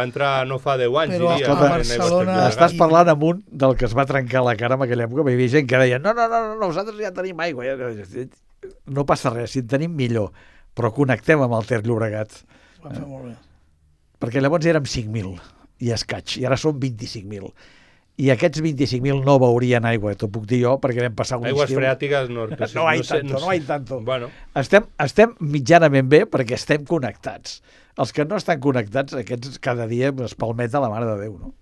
Speaker 1: entrar no fa 10 anys,
Speaker 3: però
Speaker 1: diria.
Speaker 3: a Barcelona...
Speaker 4: Estàs parlant amb un del que es va trencar la cara en aquella època, hi havia gent que deia no, nosaltres ja tenim aigua. No passa res, si en tenim millor, però connectem amb el Ter Llobregat.
Speaker 3: Ho vam fer molt bé.
Speaker 4: Perquè llavors érem 5.000 i escaig, i ara són 25.000. I aquests 25.000 no veurien aigua, t'ho puc dir jo, perquè vam passar un estiu...
Speaker 1: Aigües freàtiques no
Speaker 4: hay tanto.
Speaker 1: Bueno.
Speaker 4: Estem mitjanament bé perquè estem connectats. Els que no estan connectats, aquests cada dia es palmeta la mare de Déu, no?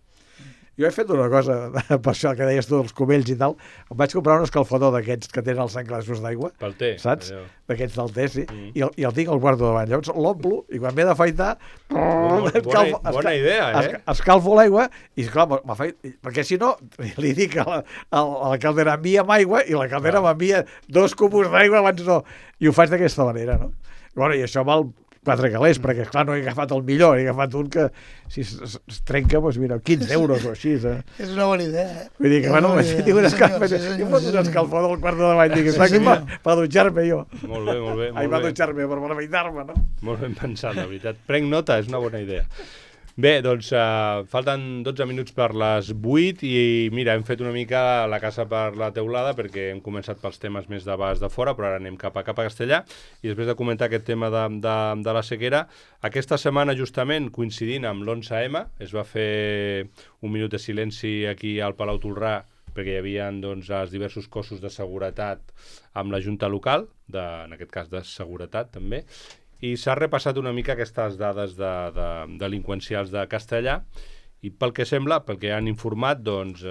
Speaker 4: Jo he fet una cosa, per això que deies tu dels cubells i tal, em vaig comprar un escalfador d'aquests que tenen els enclassos d'aigua.
Speaker 1: Pel té.
Speaker 4: Saps? D'aquests del té, sí. I el tinc al guardo davant. Llavors l'omplo i quan m'he d'afaitar...
Speaker 1: Bona idea,
Speaker 4: Escalfo l'aigua i, clar, perquè si no, li dic a la caldera envia'm aigua i la caldera m'envia 2 cubos d'aigua abans no. I ho faig d'aquesta manera, no? Bueno, i això val 4 calés, perquè, esclar, no he agafat el millor, he agafat un que, si es trenca, doncs mira, 15 euros o així.
Speaker 3: És una bona idea,
Speaker 4: Vull dir que, bueno, tinc un escalfor, jo foto un escalfor del quart de davall, dic, està aquí per dutxar-me jo.
Speaker 1: Molt bé.
Speaker 4: Ai, per dutxar-me, per afeitar-me, no?
Speaker 1: Molt ben pensat, la veritat. Prenc nota, és una bona idea. Bé, doncs falten 12 minuts per les 8 i mira, hem fet una mica la casa per la teulada perquè hem començat pels temes més de baix de fora, però ara anem cap a Castellà i després de comentar aquest tema de la sequera, aquesta setmana justament coincidint amb l'11M es va fer un minut de silenci aquí al Palau Tolrà perquè hi havia doncs, els diversos cossos de seguretat amb la Junta Local, en aquest cas de seguretat també, i s'ha repassat una mica aquestes dades delinqüencials de Castellà i pel que sembla, pel que han informat, doncs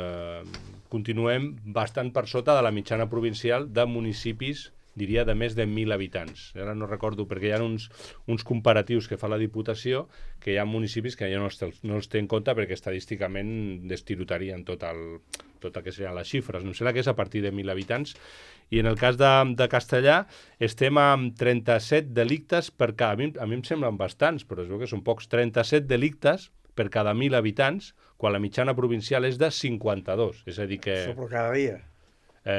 Speaker 1: continuem bastant per sota de la mitjana provincial de municipis, diria, de més de 1.000 habitants. Ara no recordo, perquè hi ha uns comparatius que fa la Diputació, que hi ha municipis que ja no els té en compte perquè estadísticament destirotarien tot el que serien les xifres. Em sembla que és a partir de 1.000 habitants. I en el cas de Castellà estem amb 37 delictes per cada... A mi em semblen bastants, però es veu que són pocs. 37 delictes per cada 1.000 habitants, quan la mitjana provincial és de 52. És a dir que...
Speaker 4: Això però cada dia?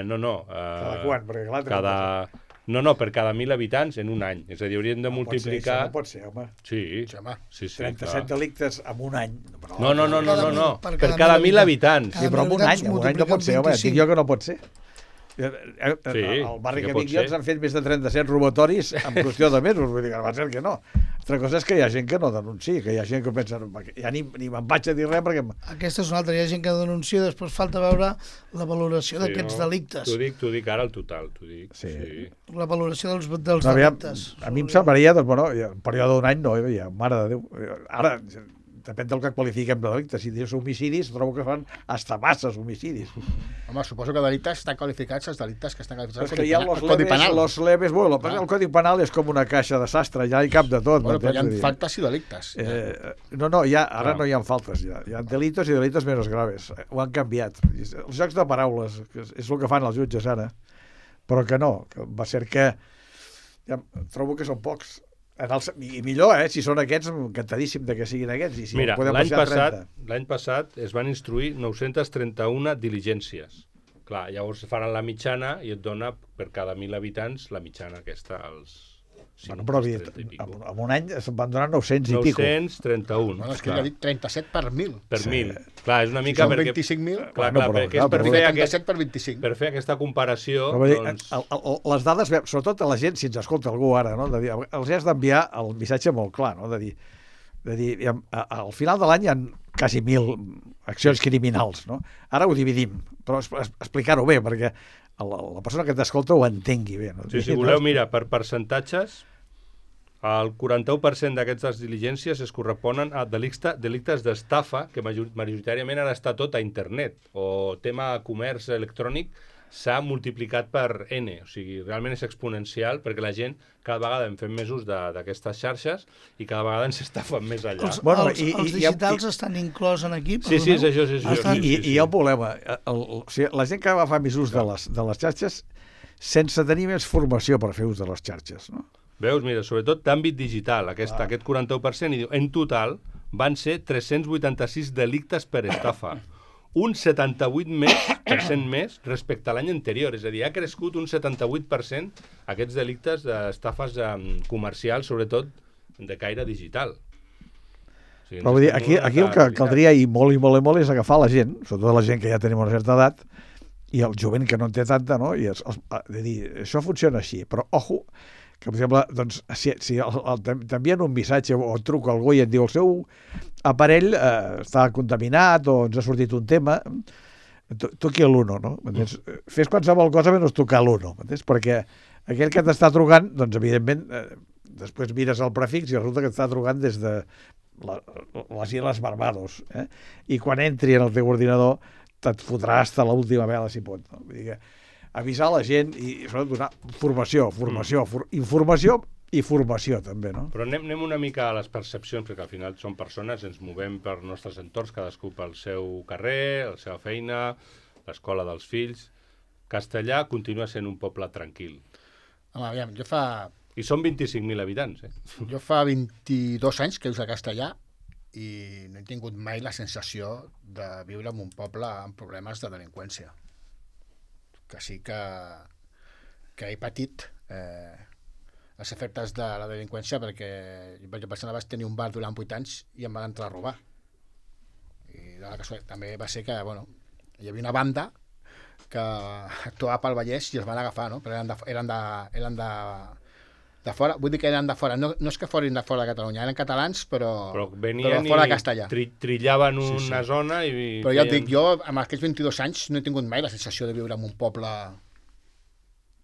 Speaker 1: No.
Speaker 4: Cada quan? Perquè clar,
Speaker 1: No, per cada 1.000 habitants en un any. És a dir, hauríem de multiplicar...
Speaker 4: No pot ser, home.
Speaker 1: Sí,
Speaker 2: home.
Speaker 1: Sí,
Speaker 4: 37 delictes en un any.
Speaker 1: No. Per cada 1.000 habitants.
Speaker 4: Sí, però en un any no pot ser, home. Dic jo que no pot ser. El barri que vinc jo ens han fet més de 37 robatoris en qüestió de mesos, vull dir que va ser que no. Altra cosa és que hi ha gent que no denuncia, que hi ha gent que pensa ja ni me'n vaig a dir res perquè...
Speaker 3: Aquesta és una altra, hi ha gent que denuncia, després falta veure la valoració d'aquests delictes.
Speaker 1: T'ho dic ara al total, t'ho dic.
Speaker 4: Sí.
Speaker 3: La valoració dels delictes.
Speaker 4: A mi em semblaria, doncs, bueno, un període d'un any no, mare de Déu. Ara, depèn del que qualifiquem de delictes. Si dius homicidis, trobo que fan hasta masses homicidis.
Speaker 2: Home, suposo que delictes estan qualificats els delictes que estan qualificats
Speaker 4: al Codi Penal. Los leves, bueno, el Codi Penal és com una caixa de sastre, ja hi cap de tot.
Speaker 2: Bueno, però hi ha faltes i delictes.
Speaker 4: No, ara no hi ha faltes, ja. Hi ha delitos i delitos menos graves. Ho han canviat. Els jocs de paraules, que és el que fan els jutges ara, però que no, que va ser que ja, trobo que són pocs. I millor, si són aquests, encantadíssim de que siguin aquests. I si
Speaker 1: mira, l'any passat es van instruir 931 diligències. Clar, llavors faran la mitjana i et dona per cada 1.000 habitants la mitjana aquesta, els 5,
Speaker 4: però en un any se'n van donar 900 i pico.
Speaker 1: 931.
Speaker 2: Bueno, és que ja dic 37 per 1.000.
Speaker 1: Per 1.000. Clar, és una mica
Speaker 2: perquè... Si són 25.000...
Speaker 1: Clar, perquè és per fer
Speaker 2: 37 per 25.
Speaker 1: Per fer aquesta comparació...
Speaker 4: Doncs... Les dades, sobretot a la gent, si ens escolta algú ara, no? De dir, els has d'enviar el missatge molt clar, no? De dir, al final de l'any hi ha quasi 1.000 accions criminals, no? Ara ho dividim, però explicar-ho bé, perquè la persona que t'escolta ho entengui bé. No?
Speaker 1: Sí, si voleu, mira, per percentatges, el 41% d'aquestes diligències es corresponen a delictes d'estafa, que majoritàriament han estat tot a internet, o tema comerç electrònic s'ha multiplicat per N, o sigui, realment és exponencial perquè la gent cada vegada en fem més ús d'aquestes xarxes i cada vegada ens estafen més allà.
Speaker 3: Els digitals estan inclòs en aquí?
Speaker 1: Sí, és això.
Speaker 4: I hi ha un problema. La gent que va fer més ús de les xarxes sense tenir més formació per fer ús de les xarxes, no?
Speaker 1: Veus, mira, sobretot d'àmbit digital, aquest 41%, i diu, en total van ser 386 delictes per estafa. Un 78% més respecte a l'any anterior. És a dir, ha crescut un 78% aquests delictes d'estafes comercials, sobretot de caire digital. O sigui,
Speaker 4: però vull dir, aquí el que caldria i molt és agafar la gent, sobretot la gent que ja tenim una certa edat, i el jovent que no en té tanta, no? I de dir, això funciona així, però ojo, que per exemple, doncs, si t'envien un missatge o et truca algú i et diu el seu aparell està contaminat o ens ha sortit un tema, toqui l'1, no? Fes qualsevol cosa menys tocar l'1, perquè aquell que t'està trucant, doncs evidentment després mires el prefix i resulta que t'està trucant des de les Illes Barbados, i quan entri en el teu ordinador te't fotrà hasta l'última vela si pot, no? Vull dir que avisar la gent i sobretot donar informació i formació també, no?
Speaker 1: Però anem una mica a les percepcions, perquè al final som persones, ens movem per nostres entorns, cadascú pel seu carrer, la seva feina, l'escola dels fills. Castellà continua sent un poble tranquil.
Speaker 2: Home, aviam, jo fa
Speaker 1: I són 25.000 habitants,
Speaker 2: Jo fa 22 anys que vius a Castellà i no he tingut mai la sensació de viure en un poble amb problemes de delinqüència. Que sí que he patit els efectes de la delinqüència perquè jo persona vaig tenir un bar durant 8 anys i em van entrar a robar. I també va ser que, hi havia una banda que actuava pel Vallès i els van agafar, no? Però eren de fora, vull dir que eren de fora, no és que forin de fora de Catalunya, eren catalans però
Speaker 1: venien
Speaker 2: de fora de Castellà.
Speaker 1: Trillaven una zona i...
Speaker 2: Però ja et dic, jo amb aquests 22 anys no he tingut mai la sensació de viure en un poble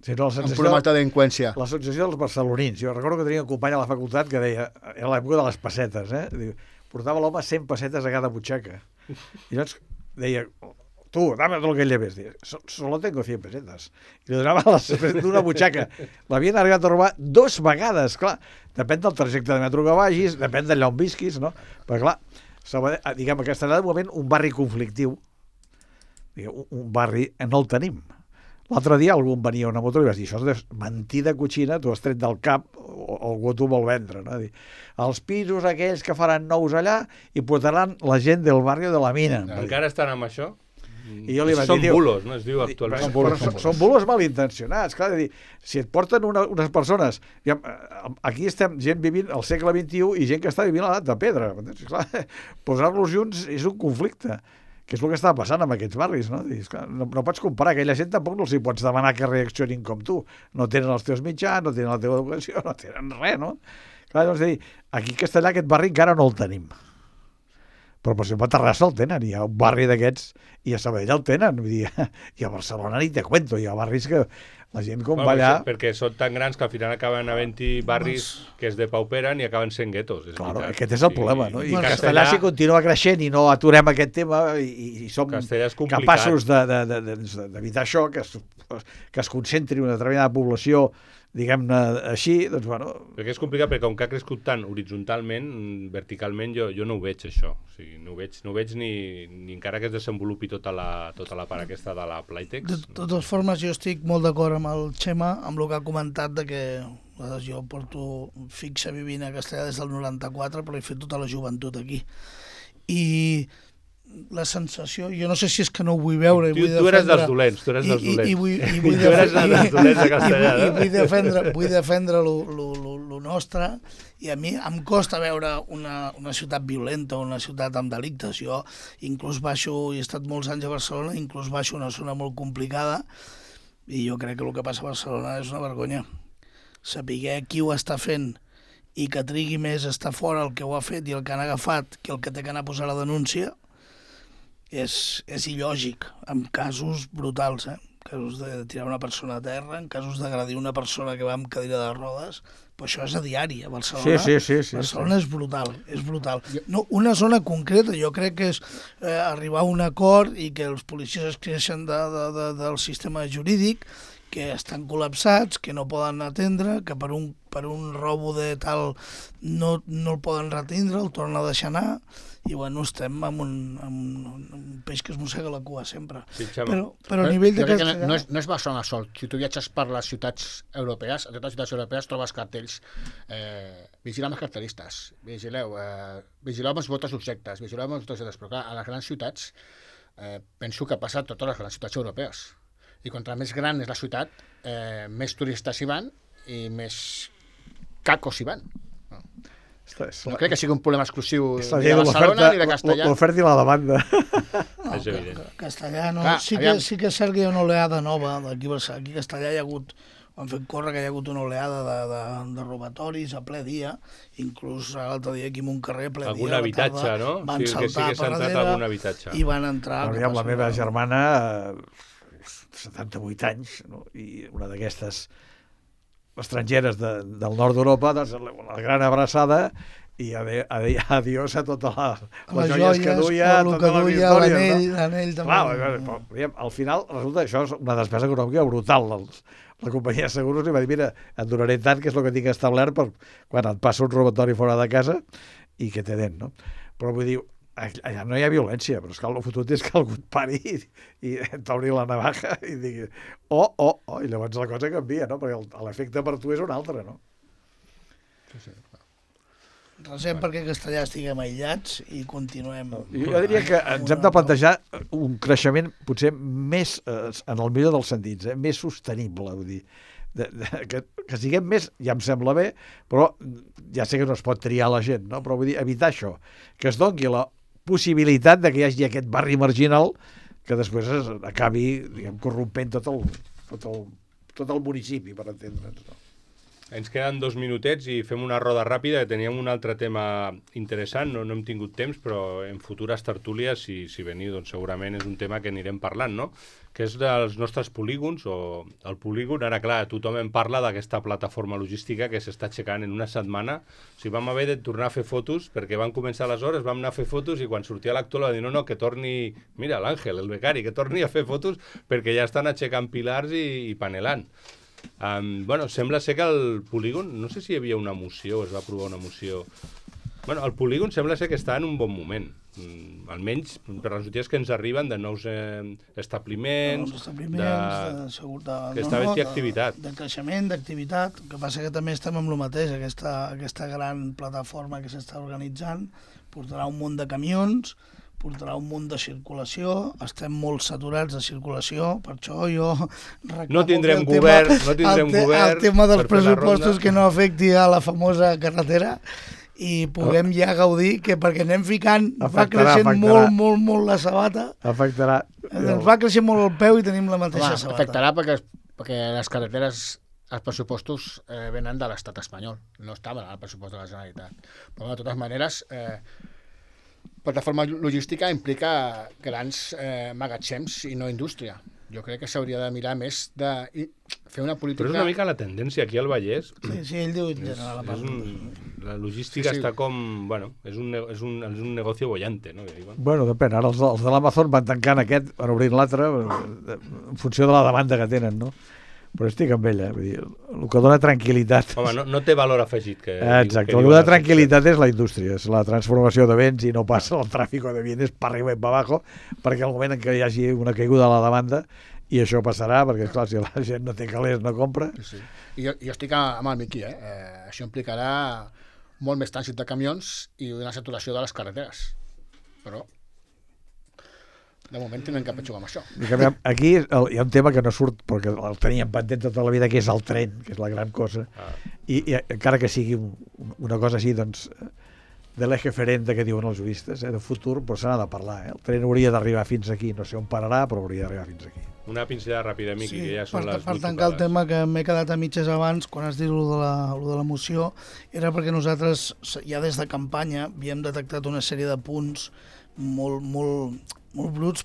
Speaker 2: amb problemes de delinqüència.
Speaker 4: La sensació dels barcelonins. Jo recordo que tenia un company a la facultat que deia, era l'època de les pessetes, portava l'home 100 pessetes a cada butxaca. I llavors deia, tú, dame todo lo que lleves. Solo tengo 100 pesetas. I li donava d'una butxaca. L'havien arribat a robar 2 vegades, clar. Depèn del trajecte de metro que vagis, depèn d'allà on visquis, no? Però clar, diguem, a Castellà de moment un barri conflictiu, un barri no el tenim. L'altre dia algú em venia a una moto i vas dir, això és mentida coixina, tu has tret del cap o algú t'ho vol vendre, no? Dir, els pisos aquells que faran nous allà i portaran la gent del barri de la mina.
Speaker 1: Encara estan amb això?
Speaker 4: I jo li vaig
Speaker 1: són
Speaker 4: dir,
Speaker 1: bulos, no es diu actualment.
Speaker 4: Són bulos malintencionats, clar, de dir, si et porten unes persones, aquí estem gent vivint al segle XXI i gent que està vivint a l'edat de pedra, clar, posar-los junts és un conflicte, que és el que està passant amb aquests barris, no? Dius, clar, no pots comparar, aquella gent tampoc no els hi pots demanar que reaccionin com tu, no tenen els teus mitjans, no tenen la teva educació, no tenen res, no? Clar, doncs dir, aquí a Castellà aquest barri encara no el tenim. Però per exemple a Terrassa el tenen, hi ha un barri d'aquests, i a Sabadell el tenen, vull dir, i a Barcelona ni te cuento, hi ha barris que la gent com va allà...
Speaker 1: Perquè són tan grans que al final acaben havent-hi barris que es depauperen i acaben sent guetos.
Speaker 4: Claro, aquest és el problema, no? I Castellà, si continua creixent i no aturem aquest tema i som capaços d'evitar això, que es concentri una determinada població, diguem-ne així, doncs bueno...
Speaker 1: Perquè és complicat, perquè com que ha crescut tant horitzontalment, verticalment jo no ho veig, això. O sigui, no ho veig ni encara que es desenvolupi tota la part aquesta de la Playtex.
Speaker 3: De totes formes, jo estic molt d'acord amb el Xema, amb el que ha comentat de que jo porto fixa vivint a Castellà des del 94, però he fet tota la joventut aquí. I la sensació, jo no sé si és que no ho vull veure i vull defendre...
Speaker 1: Tu eres dels dolents, tu eres dels dolents. Tu eres dels dolents de Castellà, no?
Speaker 3: I vull defendre lo nostre, i a mi em costa veure una ciutat violenta, una ciutat amb delictes. Jo inclús baixo, he estat molts anys a Barcelona, inclús baixo una zona molt complicada, i jo crec que el que passa a Barcelona és una vergonya. Saber qui ho està fent i que trigui més estar fora el que ho ha fet i el que han agafat que el que té que anar a posar la denúncia, és il·lògic, en casos brutals, casos de tirar una persona a terra, en casos d'agredir una persona que va amb cadira de rodes, però això és a diari a Barcelona.
Speaker 4: Sí.
Speaker 3: Barcelona és brutal, és brutal. No, una zona concreta, jo crec que és arribar a un acord i que els policies es creixen del sistema jurídic, que estan col·lapsats, que no poden atendre, que per un robo de tal no el poden retindre, el tornen a deixar anar, i bueno, estem amb un peix que es mossega la cua sempre.
Speaker 1: Sí,
Speaker 3: però a nivell de Castellà...
Speaker 2: No és Barcelona sol. Si tu viatges per les ciutats europees, a totes les ciutats europees trobes cartells vigileu amb els carteristes, vigileu amb els votos objectes, vigileu amb els votos objectes, però clar, a les grans ciutats penso que passa a totes les grans ciutats europees. I contra més gran és la ciutat, més turistes hi van i més cacos hi van. No crec que sigui un problema exclusiu de Barcelona ni de Castellà.
Speaker 4: L'oferta i la demanda.
Speaker 1: És evident.
Speaker 3: Castellà no. Sí que és cert que hi ha una oleada nova. Aquí a Castellà hi ha hagut, han fet córrer que hi ha hagut una oleada de robatoris a ple dia, inclús l'altre dia aquí en un carrer ple dia.
Speaker 1: Algun habitatge, no?
Speaker 3: Van saltar per darrere i van entrar.
Speaker 4: La meva germana, 78 anys, no? I una d'aquestes estrangeres del nord d'Europa, doncs, la gran abraçada i adiós a totes les joies que duia, totes les històries.
Speaker 3: L'anell també.
Speaker 4: Al final resulta això és una despesa econòmica brutal. La companyia de seguros li va dir, mira, et donaré tant, que és el que tinc establert per quan et passa un robatori fora de casa i que te den, no? Però vull dir, allà no hi ha violència, però és que el fotut és que algú et pari i t'obri la navaja i digui i llavors la cosa canvia, no? Perquè l'efecte per tu és un altre, no?
Speaker 3: Recent perquè Castellà estiguem aïllats i continuem...
Speaker 4: Jo diria que ens hem de plantejar un creixement potser més, en el millor dels sentits, més sostenible, vull dir, que siguem més, ja em sembla bé, però ja sé que no es pot triar la gent, no? Però vull dir, evitar això, que es doni la possibilitat de que hi hagi aquest barri marginal que després acabi, diguem, corrompent tot el municipi, per entendre'ns, no?
Speaker 1: Ens queden 2 minutets i fem una roda ràpida, que teníem un altre tema interessant, no hem tingut temps, però en futures tertúlies, si veniu, doncs segurament és un tema que anirem parlant, no? Que és dels nostres polígons, o el polígon. Ara, clar, tothom en parla d'aquesta plataforma logística que s'està aixecant en una setmana. O sigui, vam haver de tornar a fer fotos, perquè van començar les hores, vam anar a fer fotos, i quan sortia l'actual va dir, no, que torni, mira, l'Àngel, el becari, que torni a fer fotos, perquè ja estan aixecant pilars i panelant. Bueno, sembla ser que el polígon, no sé si hi havia una moció, es va aprovar una moció. Bueno, el polígon sembla ser que està en un bon moment, almenys per les notícies que ens arriben de nous establiments, que està havent-hi activitat.
Speaker 3: De creixement, d'activitat. El que passa que també estem amb el mateix, aquesta gran plataforma que s'està organitzant portarà un munt de camions, portarà un munt de circulació, estem molt saturats de circulació, per això jo reclamo
Speaker 1: no tindrem govern,
Speaker 3: el tema dels pressupostos que no afecti a la famosa carretera i puguem ja gaudir, que perquè anem ficant, va creixent molt la sabata, ens va creixent molt el peu i tenim la mateixa sabata.
Speaker 2: Afectarà perquè les carreteres, els pressupostos venen de l'estat espanyol, no estaven al pressupost de la Generalitat. Però de totes maneres, plataforma logística implica grans magatzems i no indústria. Jo crec que s'hauria de mirar més de fer una política...
Speaker 1: Però és una mica la tendència aquí al Vallès.
Speaker 3: Sí, ell diu en general.
Speaker 1: La logística està com... Bueno, és un negocio bollante, no?
Speaker 4: Bueno, depèn. Ara els de l'Amazon van tancant aquest, van obrint l'altre, en funció de la demanda que tenen, no? Però estic amb ella, vull dir, el que dona tranquil·litat...
Speaker 1: Home, no té valor afegit.
Speaker 4: Exacte, el que dona tranquil·litat és la indústria, és la transformació de béns i no passa el tràfic de bienes per arriba i per abajo, perquè al moment en què hi hagi una caiguda de la demanda, i això passarà, perquè clar, si la gent no té calés no compra...
Speaker 2: Sí. I jo estic amb el Miqui, això implicarà molt més trànsit de camions i una saturació de les carreteres, però... De moment tenen que petxugar amb això.
Speaker 4: Aquí hi ha un tema que no surt, perquè el teníem pendent tota la vida, que és el tren, que és la gran cosa. I encara que sigui una cosa així, doncs, de l'eje ferente que diuen els juristes, de futur, però se n'ha de parlar. El tren hauria d'arribar fins aquí, no sé on pararà, però hauria d'arribar fins aquí.
Speaker 1: Una pinzellada ràpida, Miqui, que ja són les 8
Speaker 3: per tancar el tema que m'he quedat a mitges abans, quan has dit lo de la moció, era perquè nosaltres, ja des de campanya, havíem detectat una sèrie de punts molt bruts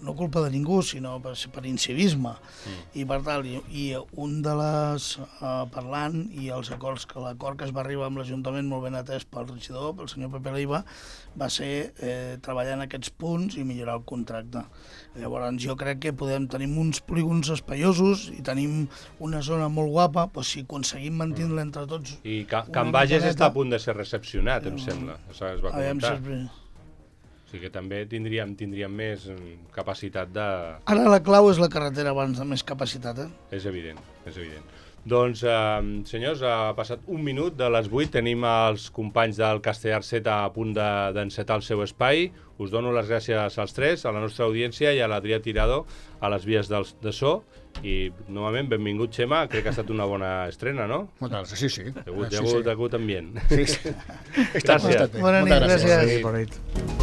Speaker 3: no culpa de ningú, sinó per incivisme. I per tal, i un de les parlant i els acords, que l'acord que es va arribar amb l'Ajuntament, molt ben atès pel regidor, pel senyor Pepe Leiva, va ser treballar en aquests punts i millorar el contracte. Llavors jo crec que tenim uns polígons espaiosos i tenim una zona molt guapa, doncs si aconseguim mantenir-la entre tots...
Speaker 1: I Can Bages està a punt de ser recepcionat, em sembla. Això es va comentar. O sigui que també tindríem més capacitat de...
Speaker 3: Ara la clau és la carretera abans de més capacitat,
Speaker 1: És evident, és evident. Doncs, senyors, ha passat un minut de les 8, tenim els companys del Castellar 7 a punt d'encetar el seu espai. Us dono les gràcies als tres, a la nostra audiència i a l'Adrià Tirado, a les vies de so. I, novament, benvingut, Xema. Crec que ha estat una bona estrena, no?
Speaker 2: Moltes gràcies, sí.
Speaker 1: Hi ha hagut ambient.
Speaker 2: Sí.
Speaker 1: Gràcies.
Speaker 3: Bona nit, gràcies.
Speaker 4: Bona nit.